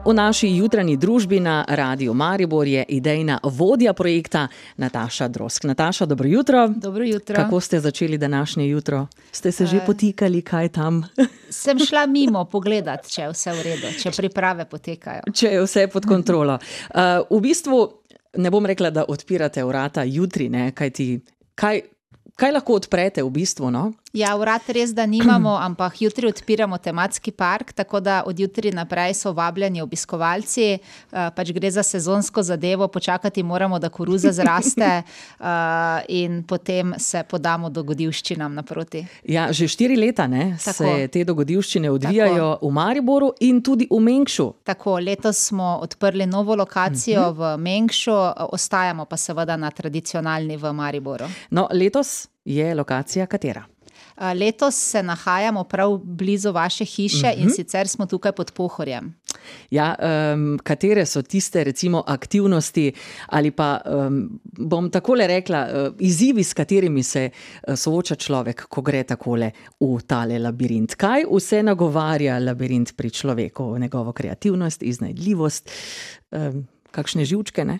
V naši jutranji družbi na Radiu Maribor je idejna vodja projekta Nataša Drozg. Nataša, dobro jutro. Dobro jutro. Kako ste začeli današnje jutro? Ste se že potikali, kaj tam? Sem šla mimo pogledat, če je vse v redu, če priprave potekajo. Če je vse pod kontrolo. V bistvu ne bom rekla, da odpirate vrata jutri, ne? Kaj lahko odprete v bistvu, no? Ja, vrat res, da nimamo, ampak jutri odpiramo tematski park, tako da od jutri naprej so vabljeni obiskovalci, pač gre za sezonsko zadevo, počakati moramo, da koruza zraste in potem se podamo dogodivščinam naproti. Ja, že 4 leta, ne, se te dogodivščine odvijajo v Mariboru in tudi v Mengšu. Tako, letos smo odprli novo lokacijo v Mengšu, ostajamo pa seveda na tradicionalni v Mariboru. No, letos je lokacija katera? Letos se nahajamo prav blizu vaše hiše in sicer smo tukaj pod Pohorjem. Ja, katere so tiste recimo aktivnosti ali pa, bom takole rekla, izzivi, s katerimi se sooča človek, ko gre takole v tale labirint? Kaj vse nagovarja labirint pri človeku? Njegovo kreativnost, iznajdljivost, kakšne živčke, ne?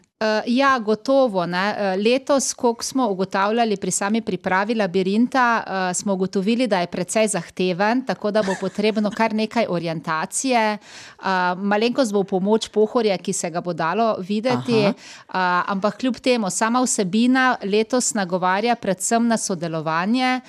Ja, gotovo, ne. Letos, koliko smo ugotavljali pri sami pripravi labirinta, smo ugotovili, da je precej zahteven, tako da bo potrebno kar nekaj orientacije. Malenkost bo v pomoč Pohorje, ki se ga bo dalo videti, ampak kljub temu, sama vsebina letos nagovarja predvsem na sodelovanje.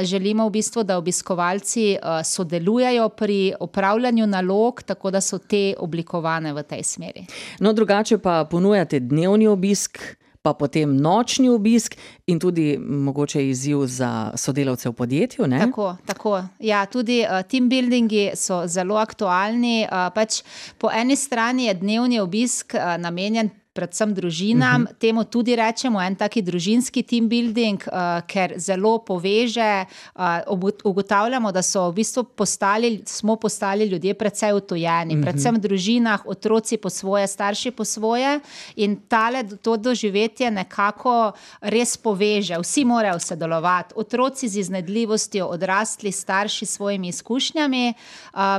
Želimo v bistvu, da obiskovalci sodelujejo pri opravljanju nalog, tako da so te oblikovane v tej smeri. No, drugače pa ponujate dnevni obisk, pa potem nočni obisk in tudi mogoče izziv za sodelavce v podjetju, ne? Tako. Ja, tudi team buildingi so zelo aktualni. Pač po eni strani je dnevni obisk namenjen predvsem družinam, temu tudi rečemo en taki družinski team building, ker zelo poveže, ugotavljamo, da so v bistvu smo postali ljudje precej utojeni, predvsem v družinah, otroci po svoje, starši po svoje in to doživetje nekako res poveže, vsi morajo sodelovati, otroci z iznajdljivostjo, odrasli starši s svojimi izkušnjami,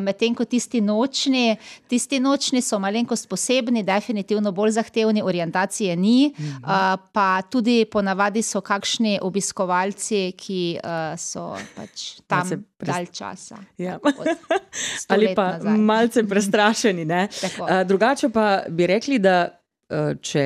medtem ko tisti nočni so malenkost posebni, definitivno bolj zahtevni, orientacije ni, pa tudi ponavadi so kakšni obiskovalci, ki so pač tam dalj časa. Ja. Ali pa malce prestrašeni, ne? Drugače pa bi rekli, da če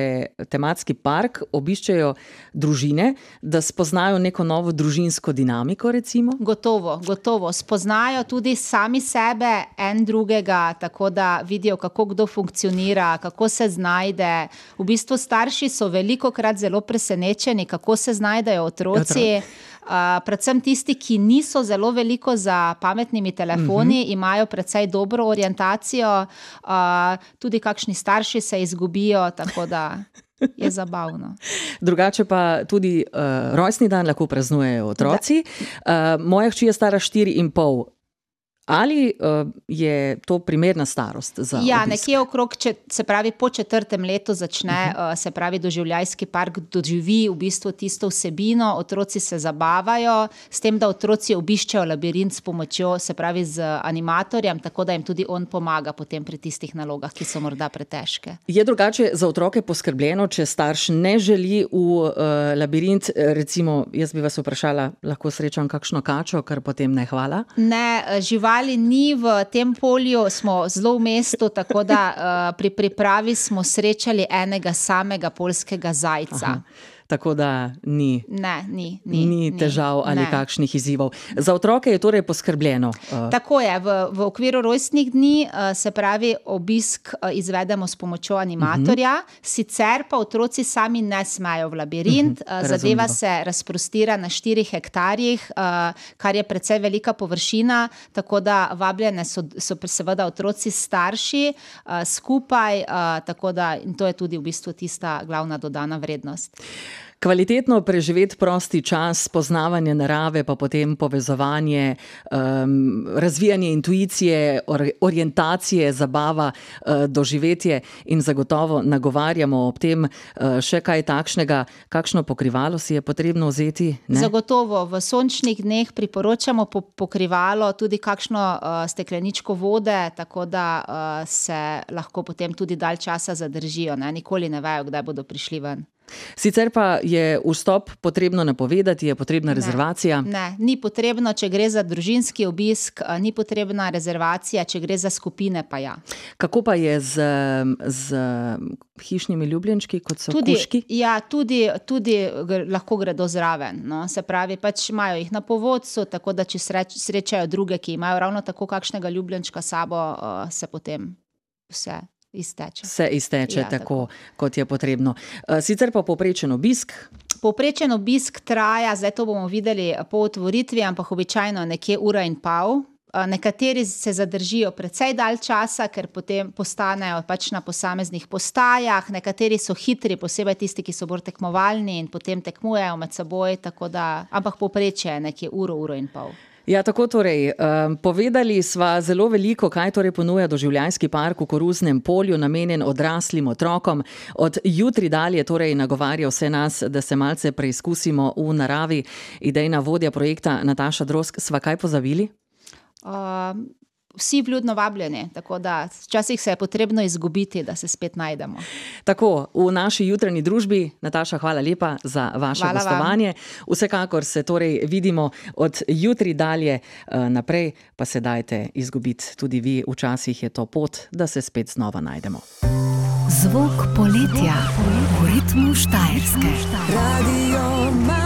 tematski park obiščejo družine, da spoznajo neko novo družinsko dinamiko, recimo? Gotovo. Spoznajo tudi sami sebe, en drugega, tako da vidijo, kako kdo funkcionira, kako se znajde. V bistvu starši so velikokrat zelo presenečeni, kako se znajdejo otroci. Predvsem tisti, ki niso zelo veliko za pametnimi telefoni, imajo precej dobro orientacijo, tudi kakšni starši se izgubijo, tako da je zabavno. Drugače pa tudi rojstni dan lahko praznujejo otroci. Moja hči je stara 4,5. Ali je to primerna starost za obisk? Ja, nekje okrog, se pravi po 4. letu začne, se pravi doživljajski park doživi v bistvu tisto vsebino, otroci se zabavajo, s tem, da otroci obiščejo labirint s pomočjo, se pravi z animatorjem, tako da jim tudi on pomaga potem pri tistih nalogah, ki so morda pretežke. Je drugače za otroke poskrbljeno, če starš ne želi v labirint, recimo, jaz bi vas vprašala, lahko srečam kakšno kačo, kar potem ne hvala? Ne, živali ni v tem polju, smo zelo v mestu, tako da pri pripravi smo srečali enega samega poljskega zajca. Tako da ni težav ali kakšnih izzivov. Za otroke je torej poskrbljeno? Tako je, v okviru rojstnih dni, se pravi, obisk izvedemo s pomočjo animatorja, sicer pa otroci sami ne smejo v labirint, zadeva se razprostira na 4 hektarjih, kar je precej velika površina, tako da vabljene so seveda otroci starši skupaj, tako da in to je tudi v bistvu tista glavna dodana vrednost. Kvalitetno preživeti prosti čas, poznavanje narave, pa potem povezovanje, razvijanje intuicije, orientacije, zabava, doživetje in zagotovo nagovarjamo ob tem še kaj takšnega, kakšno pokrivalo si je potrebno vzeti? Ne? Zagotovo, v sončnih dneh priporočamo pokrivalo, tudi kakšno stekleničko vode, tako da se lahko potem tudi dalj časa zadržijo, ne? Nikoli ne vejo, kdaj bodo prišli ven. Sicer pa je vstop potrebno napovedati, je potrebna rezervacija? Ne, ni potrebno, če gre za družinski obisk, ni potrebna rezervacija, če gre za skupine, pa ja. Kako pa je z hišnimi ljubljenčki, kot so kužki? Ja, tudi lahko gredo zraven. No. Se pravi, pač imajo jih na povodcu, tako da če srečajo druge, ki imajo ravno tako kakšnega ljubljenčka s sabo, se potem vse izteče. Se izteče tako, kot je potrebno. Sicer pa povprečen obisk? Povprečen obisk traja, zdaj to bomo videli po otvoritvi, ampak običajno nekje 1,5 ure. Nekateri se zadržijo precej dalj časa, ker potem postanejo pač na posameznih postajah, nekateri so hitri, posebej tisti, ki so bolj tekmovalni in potem tekmujejo med seboj, tako da, ampak povprečje je nekje 1,5 ure. Ja, tako torej, povedali sva zelo veliko, kaj torej ponuja Doživljajski park v Koruznem polju, namenjen odraslim otrokom. Od jutri dalje torej nagovarja vse nas, da se malce preizkusimo v naravi. Idejna vodja projekta Nataša Drozg, sva kaj pozabili? Vsi vljudno vabljeni, tako da včasih se je potrebno izgubiti, da se spet najdemo. Tako, v naši jutranji družbi. Nataša, hvala lepa za vaše gostovanje. Vsekakor se torej vidimo od jutri dalje naprej, pa se dajte izgubiti tudi vi. Včasih je to pot, da se spet znova najdemo. Zvok poletja v ritmu Štajerske. Radio